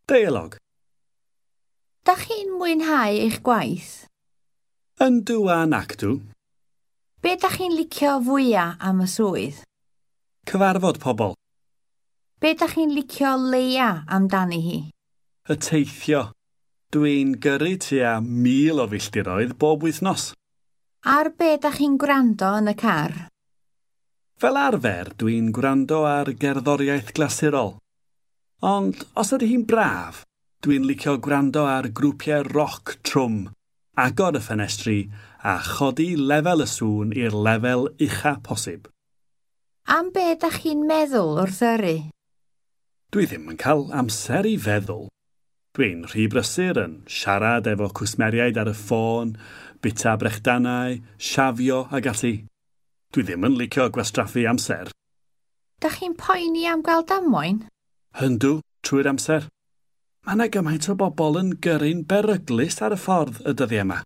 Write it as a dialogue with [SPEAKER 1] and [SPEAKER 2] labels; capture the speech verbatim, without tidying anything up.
[SPEAKER 1] Deialog.
[SPEAKER 2] Dach chi'n mwynhau eich gwaith?
[SPEAKER 1] Yndw a nacdw.
[SPEAKER 2] Be dach chi'n licio fwya am y swydd?
[SPEAKER 1] Cyfarfod pobl.
[SPEAKER 2] Be dach chi'n licio leia amdani hi?
[SPEAKER 1] Y teithio. Dwi'n gyrru tua mil o filltiroedd bob wythnos.
[SPEAKER 2] Ar be dach chi'n gwrando yn y car?
[SPEAKER 1] Fel arfer, dwi'n gwrando ar gerddoriaeth glasurol. Ond os ydy hi'n braf, dwi'n licio gwrando ar grwpiau roc trwm, agor y ffenestri a chodi lefel y sŵn i'r lefel ucha posib.
[SPEAKER 2] Am be dach chi'n meddwl wrth yrru?
[SPEAKER 1] Dwi ddim yn cael amser i feddwl. Dwi'n rhy brysur yn siarad efo cwsmeriaid ar y ffôn, bwyta brechdanau, siafio ag ati. Dwi ddim yn licio gwastraffu amser.
[SPEAKER 2] Dach chi'n poeni am gael damwain?
[SPEAKER 1] Yndw, trwy'r amser. Mae yna gymaint o bobl yn gyrru'n beryglus ar y ffordd y dyddiau yma.